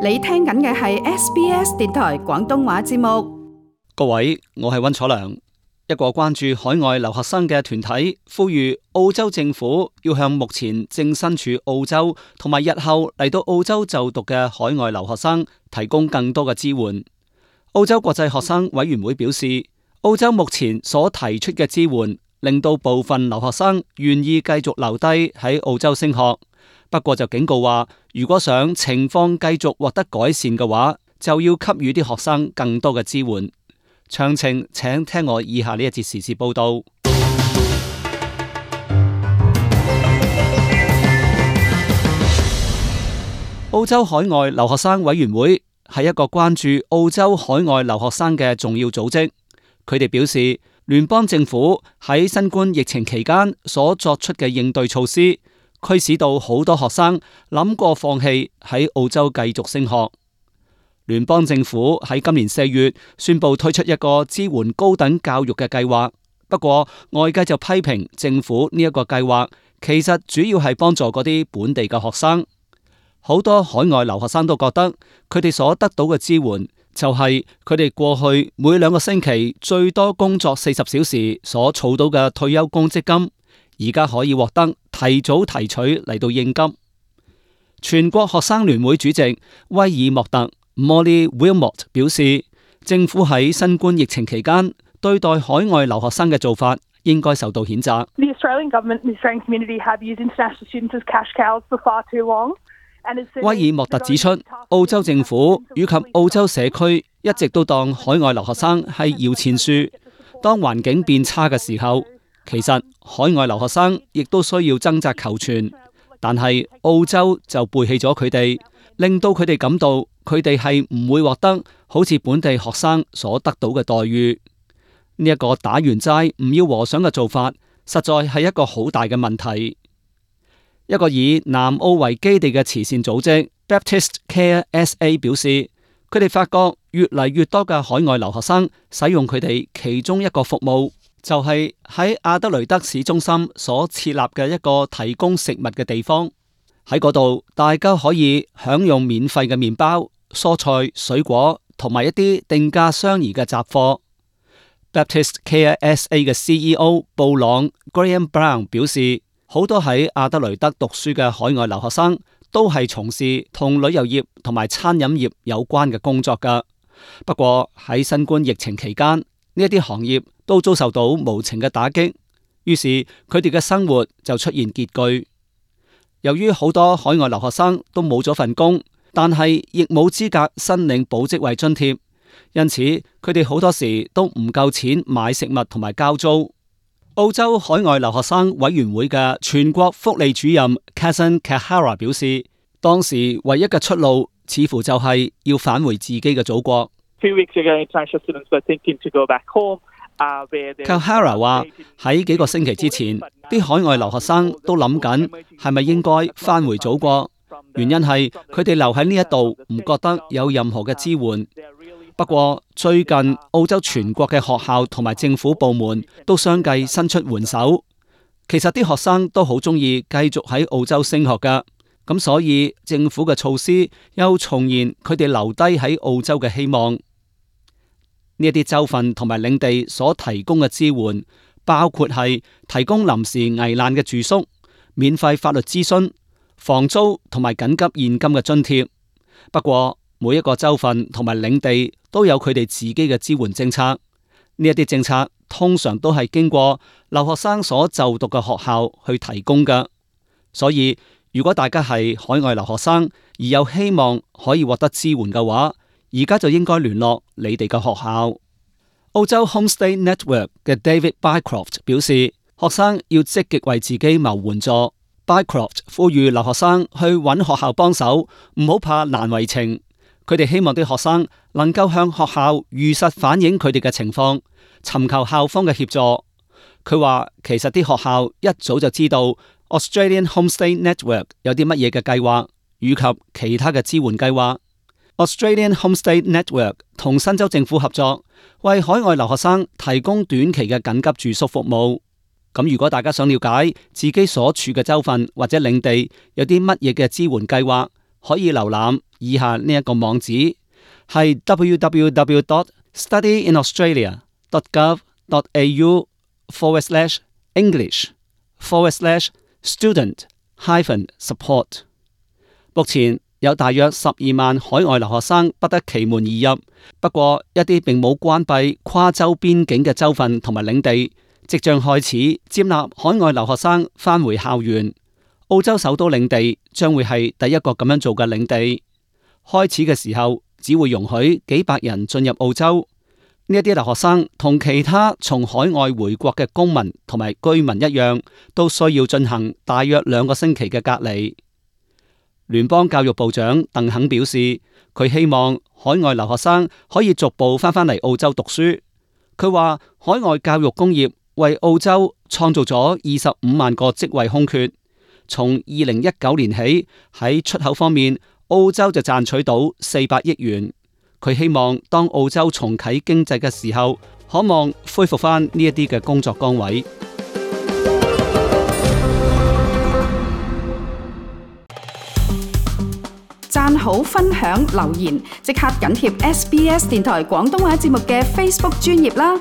你聽緊嘅係 SBS 電台廣東話節目。各位，我係溫楚良。一個關注海外留學生嘅團體呼籲澳洲政府要向目前正身處澳洲同埋日後嚟到澳洲就讀嘅海外留學生提供更多嘅支援。澳洲國際學生委員會表示，澳洲目前所提出嘅支援令到部分留學生願意繼續留低喺澳洲升學，不過就警告話，如果想情況繼續獲得改善嘅話，就要給予啲學生更多嘅支援。詳情請聽我以下呢一節時事報道。澳洲海外留學生委員會係一個關注澳洲海外留學生嘅重要組織。佢哋表示，聯邦政府喺新冠疫情期間所作出嘅應對措施，驅使到好多學生諗過放棄喺澳洲繼續升學。聯邦政府喺今年4月宣布推出一個支援高等教育嘅計劃，不過外界就批評政府呢一個計劃其實主要係幫助嗰啲本地嘅學生。好多海外留學生都覺得佢哋所得到嘅支援就係佢哋過去每2個星期最多工作40小時所儲到嘅退休公積金，而家可以獲得提早提取嚟到應急。全國學生聯會主席威爾莫特 Molly Wilmot 表示，政府喺新冠疫情期間對待海外留學生嘅做法應該受到譴責。The Australian government and the Australian community have used international students as cash cows for far too long. 威爾莫特指出，澳洲政府以及澳洲社區一直都當海外留學生係搖錢樹。當環境變差嘅時候，其實海外留學生亦都需要掙扎求存，但係澳洲就背棄咗佢哋，令到佢哋感到佢哋係唔會獲得好似本地學生所得到嘅待遇。呢一個打完齋唔要和尚嘅做法，實在係一個好大嘅問題。一個以南澳為基地嘅慈善組織 Baptist Care SA 表示，佢哋發覺越嚟越多嘅海外留學生使用佢哋其中一個服務，就係喺阿德雷德市中心所設立嘅一個提供食物嘅地方。喺嗰度，大家可以享用免費嘅麵包、蔬菜、水果同埋一啲定價相宜嘅雜貨。Baptist Care SA 嘅 CEO 布朗 Graham Brown 表示，好多喺阿德雷德讀書嘅海外留學生都係從事同旅遊業同埋餐飲業有關嘅工作㗎。不過喺新冠疫情期間，呢一啲行業都遭受到無情嘅打擊，於是佢哋嘅生活就出現拮據。由於好多海外留學生都冇咗份工，但係亦冇資格申領保職位津貼，因此佢哋好多時都唔夠錢買食物同埋交租。澳洲海外留學生委員會嘅全國福利主任 Kazan Kahara 表示，當時唯一嘅出路似乎就係要返回自己嘅祖國。Kahara 話喺幾個星期之前，啲海外留學生都諗緊係咪應該返回祖國，原因係佢哋留喺呢一度唔覺得有任何嘅支援。不過最近澳洲全國嘅學校同埋政府部門都相繼伸出援手，其實啲學生都好中意繼續喺澳洲升學㗎，咁所以政府嘅措施又重現佢哋留低喺澳洲嘅希望。呢一啲州份同埋領地所提供嘅支援，包括係提供臨時危難嘅住宿、免費法律諮詢、房租同埋緊急現金嘅津貼。不過每一個州份同埋領地都有佢哋自己嘅支援政策，呢一啲政策通常都係經過留學生所就讀嘅學校去提供㗎。所以如果大家係海外留學生而有希望可以獲得支援嘅話，而家就應該聯絡你哋嘅學校。澳洲 Homestay Network 嘅 David Bycroft 表示，學生要積極為自己謀援助。Bycroft 呼籲留學生去揾學校幫手，唔好怕難為情。佢哋希望啲學生能夠向學校如實反映佢哋嘅情況，尋求校方嘅協助。佢話其實啲學校一早就知道 Australian Homestay Network 有啲乜嘢嘅計劃，以及其他嘅支援計劃。Australian Homestay Network 同新州政府合作，為海外留學生提供短期嘅緊急住宿服務。咁如果大家想了解自己所處嘅州份或者領地有啲乜嘢嘅支援計劃，可以瀏覽以下呢一個網址，係 www.studyinaustralia.gov.au/english/student-support。目前有大約12萬海外留學生不得其門而入，不過一啲並冇關閉跨州邊境嘅州份同埋領地，即將開始接納海外留學生返回校園。澳洲首都領地將會係第一個咁樣做嘅領地。開始嘅時候只會容許幾百人進入澳洲。呢一啲留學生同其他從海外回國嘅公民同埋居民一樣，都需要進行大約2個星期嘅隔離。聯邦教育部長鄧肯表示，佢希望海外留學生可以逐步返返嚟澳洲讀書。佢話海外教育工業為澳洲創造咗25萬個職位空缺。從2019年起，喺出口方面，澳洲就賺取到400億元。佢希望當澳洲重啟經濟嘅時候，可望恢復返呢一啲嘅工作崗位。讚好、分享、留言，即刻緊貼SBS 電台廣東話節目嘅 Facebook 專頁啦！